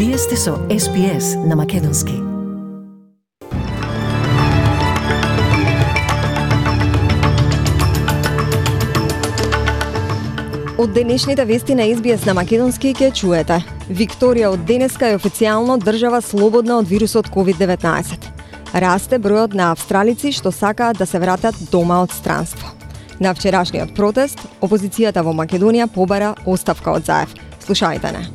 Вие сте со SPS на Македонски. Од денешните вести на SBS на Македонски ќе чуете. Викторија од денеска е официјално држава слободна од вирусот COVID-19. Расте бројот на австралици што сакаат да се вратат дома од странство. На вчерашниот протест, опозицијата во Македонија побара оставка од Заев. Слушајте не.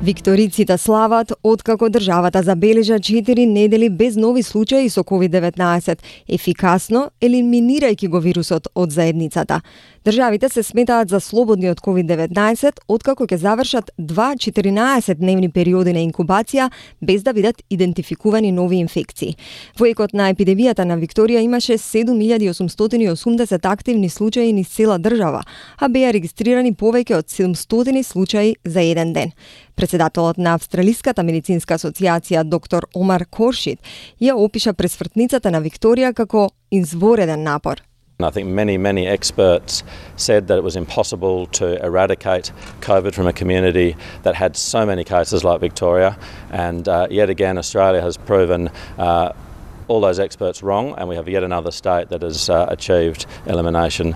Викториците слават откако државата забележа 4 недели без нови случаи со COVID-19, ефикасно елиминирајќи го вирусот од заедницата. Државите се сметаат за слободни од COVID-19 откако ќе завршат 2 14-дневни периоди на инкубација без да бидат идентификувани нови инфекции. Во екот на епидемијата на Викторија имаше 7880 активни случаи низ цела држава, а беа регистрирани повеќе од 700 случаи за еден ден. Председателот на Австралиската медицинска асоциација доктор Омар Коршид ја опиша пресвртницата на Викторија како извореден напор. I think many experts said that it was impossible to eradicate COVID from a community that had so many cases like Victoria, and yet again Australia has proven all those experts wrong, and we have yet another state that has achieved elimination.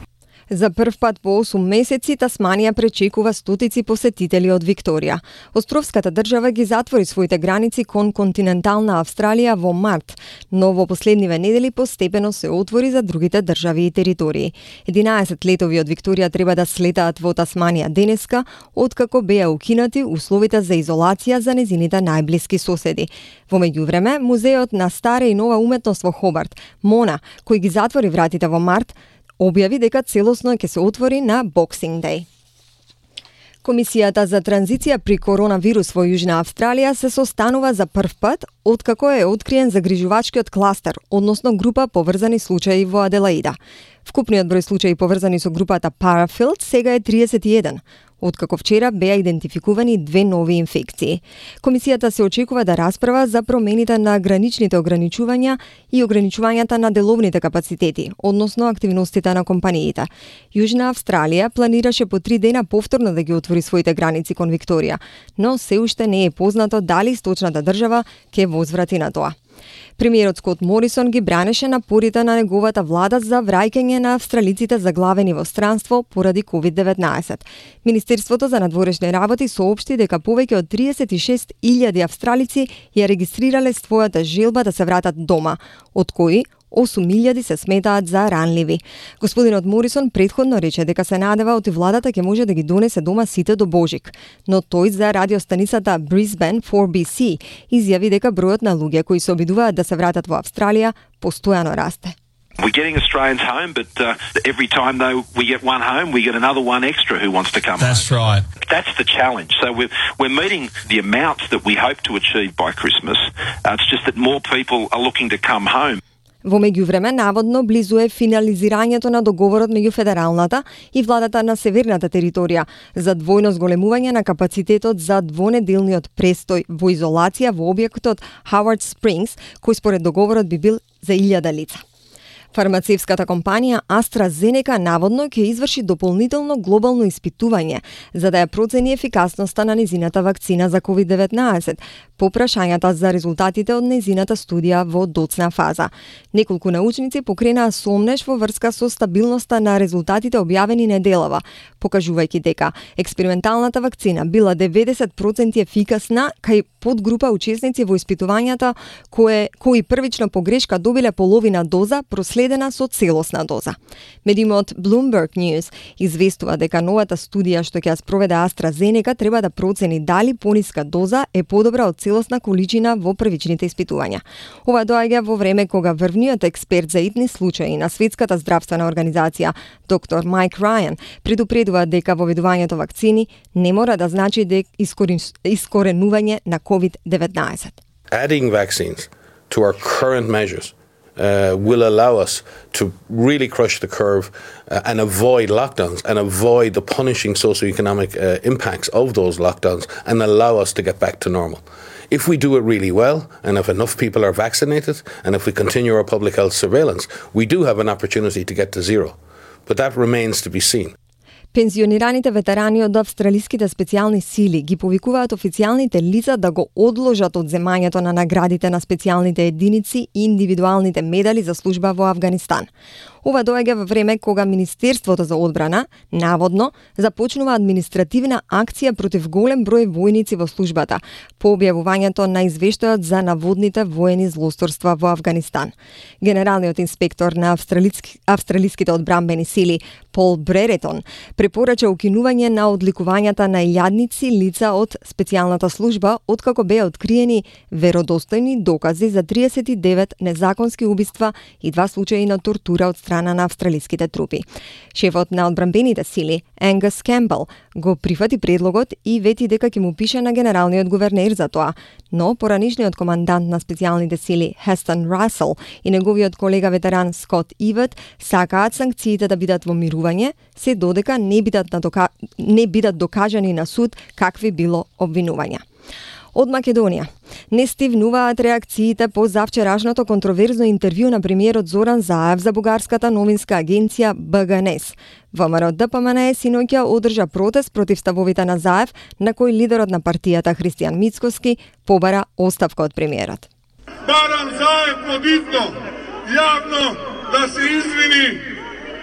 За прв пат по 8 месеци Тасманија пречекува стотици посетители од Викторија. Островската држава ги затвори своите граници кон континентална Австралија во март, но во последниве недели постепено се отвори за другите држави и територии. 11 летови од Викторија треба да слетаат во Тасманија денеска, откако беа укинати условите за изолација за незините најблиски соседи. Во меѓувреме, музеот на стара и нова уметност во Хобарт, МОНА, кој ги затвори вратите во март, објави дека целосно ќе се отвори на Boxing Day. Комисијата за транзиција при коронавирус во Јужна Австралија се состанува за прв пат откако е откриен загрижувачкиот кластер, односно група поврзани случаи во Аделаида. Вкупниот број случаи поврзани со групата Parafield сега е 31, откако вчера беа идентификувани 2 нови инфекции. Комисијата се очекува да расправа за промените на граничните ограничувања и ограничувањата на деловните капацитети, односно активностите на компаниите. Јужна Австралија планираше по 3 дена повторно да ги отвори своите граници кон Викторија, но се уште не е познато дали источната држава ќе возврати на тоа. Премиерот Скот Морисон ги бранеше напорите на неговата влада за враќање на австралиците заглавени во странство поради COVID-19. Министерството за надворешни работи соопшти дека повеќе од 36.000 австралици ја регистрирале својата желба да се вратат дома, од кои 8.000 се сметаат за ранливи. Господинот Морисон претходно рече дека се надева оти владата ќе може да ги донесе дома сите до Божик, но тој за радиостаницата Brisbane 4BC изјави дека бројот на луѓе кои се обидуваат да се вратат во Австралија постојано расте. We're getting Australians home, but every time though we get one home, we get another one extra who wants to come home. That's right. That's the challenge. So we're meeting the amounts that we hope to achieve by Christmas. It's just that more people are looking to come home. Во меѓувреме, наводно близу е финализирањето на договорот меѓу федералната и владата на Северната територија за двојно зголемување на капацитетот за двонеделниот престој во изолација во објектот Howard Springs, кој според договорот би бил за 1000 лица. Фармацевската компанија AstraZeneca наводно ќе изврши дополнително глобално испитување за да ја процени ефикасноста на незината вакцина за COVID-19 по прашањата за резултатите од незината студија во доцна фаза. Неколку научници покренаа сомнеш во врска со стабилноста на резултатите објавени неделава, покажувајќи дека експерименталната вакцина била 90% ефикасна кај подгрупа учесници во испитувањата кои првично по грешка добиле половина доза проследена со целосна доза. Медиумот Bloomberg News известува дека новата студија што ќе ја спроведе AstraZeneca треба да процени дали пониска доза е подобра од целосна количина во првичните испитувања. Ова доаѓа во време кога врвниот експерт за итни случаи на Светската здравствена организација, доктор Майк Рајан, предупредува дека воведувањето вакцини не мора да значи искоренување на COVID-19. Adding vaccines to our current measures will allow us to really crush the curve and avoid lockdowns and avoid the punishing socioeconomic impacts of those lockdowns and allow us to get back to normal. If we do it really well, and if enough people are vaccinated, and if we continue our public health surveillance, we do have an opportunity to get to zero. But that remains to be seen. Пензионираните ветерани од австралиските специјални сили ги повикуваат официјалните лица да го одложат од земањето на наградите на специјалните единици и индивидуалните медали за служба во Авганистан. Ова доаѓа во време кога Министерството за одбрана, наводно, започнува административна акција против голем број војници во службата, по објавувањето на извештајот за наводните воени злосторства во Афганистан. Генералниот инспектор на австралиските одбранбени сили, Пол Бреретон, препорача укинување на одликувањата на илјадници лица од специјалната служба, откако беа откриени веродостојни докази за 39 незаконски убиства и 2 случаи на тортура од страна на австралиските трупи. Шефот на одбранбените сили, Енгас Кембел, го прифати предлогот и вети дека ќе му пише на генералниот гувернер за тоа, но поранишниот командант на специјалните сили, Хестон Расел, и неговиот колега ветеран Скот Ивет сакаат санкциите да бидат во мирување, се додека не бидат докажани на суд какви било обвинувања. Од Македонија не стивнуваат реакциите по завчерашното контроверзно интервју на премиерот Зоран Заев за бугарската новинска агенција БГНЕС. ВМРО ДПМНЕ синоќа одржа протест против ставовите на Заев, на кој лидерот на партијата Христијан Мицкоски побара оставка од премиерот. Барам Заев побитно, јавно да се извини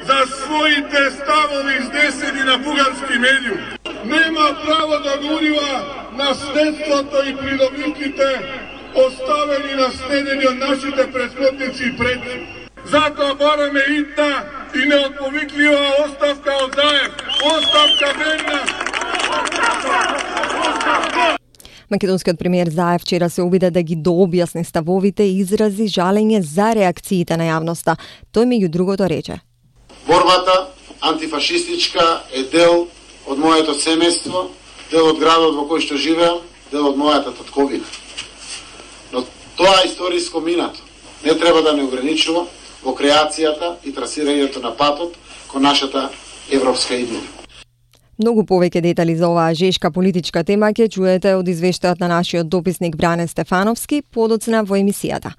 за своите ставови изнесени на бугарски медиум. Нема право да го урива наследството и придобивките оставени наследени од нашите претходници и предци. Затоа бараме итна и неотповиклива оставка од Заев. Оставка верна! Македонскиот премиер Заев вчера се обиде да ги дообјасни ставовите и изрази жалење за реакциите на јавноста. Тој меѓу другото рече: Борбата антифашистичка е дел од моето семејство, дел од градот во кој што живеам, дел од мојата татковина. Но тоа историско минато не треба да не ограничува во креацијата и трасирањето на патот кон нашата европска иднина. Многу повеќе детали за оваа жешка политичка тема ќе чуете од извештајот на нашиот дописник Бране Стефановски подоцна во емисијата.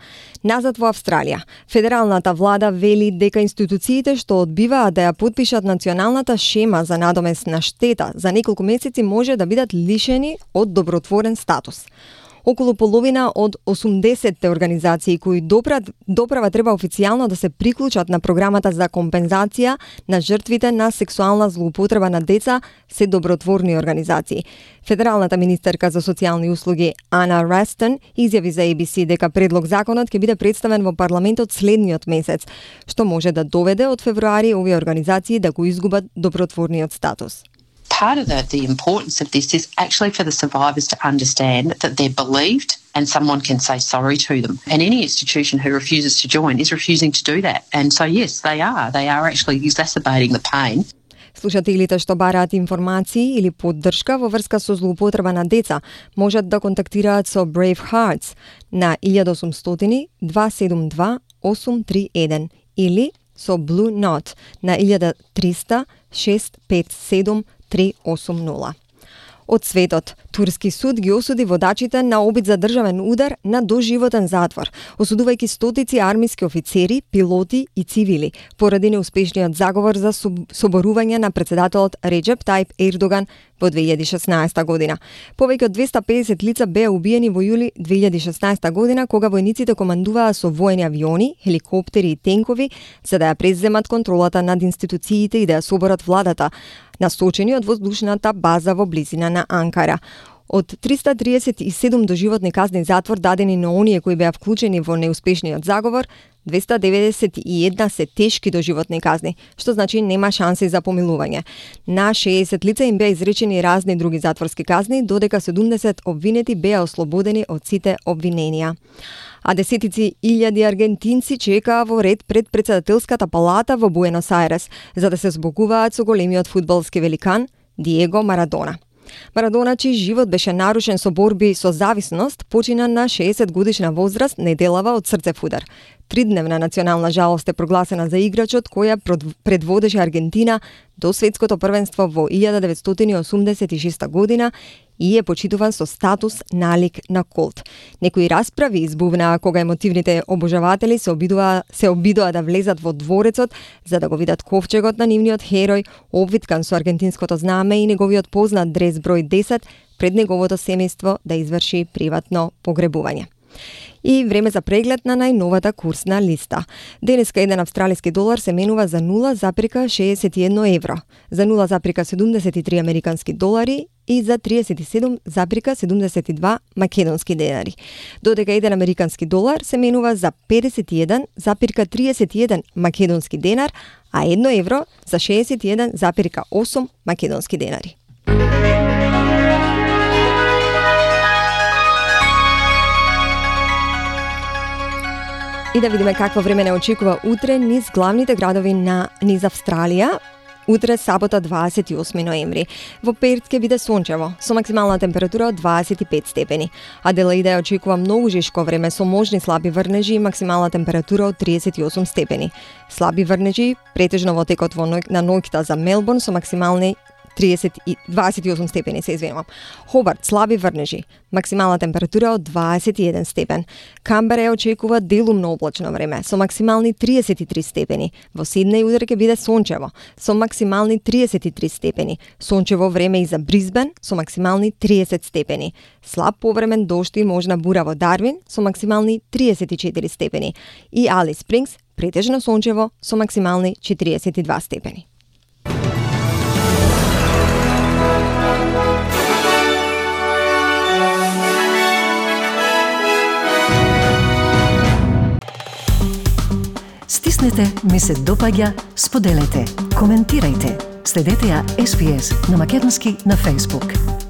Назад во Австралија, федералната влада вели дека институциите што одбиваат да ја потпишат националната шема за надомест на штета за неколку месеци може да бидат лишени од добротворен статус. Околу половина од 80 организации кои доправа треба официјално да се приклучат на програмата за компензација на жртвите на сексуална злоупотреба на деца се добротворни организации. Федералната министерка за социјални услуги Ана Рестон изјави за ABC дека предлог законот ќе биде представен во парламентот следниот месец, што може да доведе од февруари овие организации да го изгубат добротворниот статус. Part of the importance of this is actually for the survivors to understand that they're believed and someone can say sorry to them. And any institution who refuses to join is refusing to do that. And so yes, they are actually exacerbating the pain. Слушателите што бараат информации или поддршка во врска со злоупотреба на деца можат да контактираат со Brave Hearts на 1800 272 831 или со Blue Knot на 1300 657 380. Од светот, турски суд ги осуди водачите на обид за државен удар на доживотен затвор, осудувајќи стотици армиски офицери, пилоти и цивили, поради неуспешниот заговор за соборување на председателот Реџеп Тајип Ердоган во 2016 година. Повеќе од 250 лица беа убиени во јули 2016 година, кога војниците командуваа со воени авиони, хеликоптери и тенкови, за да ја преземат контролата над институциите и да ја соборат владата, насочени од воздушната база во близина на Анкара. Од 337 доживотни казни затвор дадени на оние кои беа вклучени во неуспешниот заговор, 291 се тешки доживотни казни, што значи нема шанси за помилување. На 60 лица им беа изречени разни други затворски казни, додека 70 обвинети беа ослободени од сите обвиненија. А десетици илјади аргентинци чекаа во ред пред председателската палата во Буенос Ајрес, за да се збогуваат со големиот фудбалски великан Диего Марадона. Марадона, чиј живот беше нарушен со борби со зависност, почина на 60 годишна возраст неделава од срцев удар. 3-дневна национална жалост е прогласена за играчот која предводеше Аргентина до светското првенство во 1986 година и е почитуван со статус налик на култ. Некои расправи избувнаа кога емотивните обожаватели се обидоа да влезат во дворецот за да го видат ковчегот на нивниот херој, обвиткан со аргентинското знаме и неговиот познат дрес број 10 пред неговото семејство да изврши приватно погребување. И време за преглед на најновата курсна листа. Денеска еден австралиски долар се менува за 0,61 евро, за 0,73 американски долари и за 37,72 македонски денари. Додека еден американски долар се менува за 51,31 македонски денар, а 1 евро за 61,8 македонски денари. И да видиме какво време не очекува утре низ главните градови низ Австралија. Утре, сабота, 28 ноември. Во Перт ќе биде сончево, со максимална температура од 25 степени. Аделаида ја очекува многу жешко време со можни слаби врнежи и максимална температура од 38 степени. Слаби врнежи претежно во текот на ноќта за Мелбурн со максимални 28 степени, се извинувам. Хобарт, слаби врнежи, максимална температура од 21 степен. Камбера ја очекува делумно облачно време, со максимални 33 степени. Во Сиднеј утре ќе биде сончево, со максимални 33 степени. Сончево време и за Брисбен, со максимални 30 степени. Слаб повремен дожд и можна бура во Дарвин, со максимални 34 степени. И Алис Спрингс, претежно сончево, со максимални 42 степени. Стиснете, ми се допаѓа, споделете, коментирајте. Следете ја SPS на Македонски на Facebook.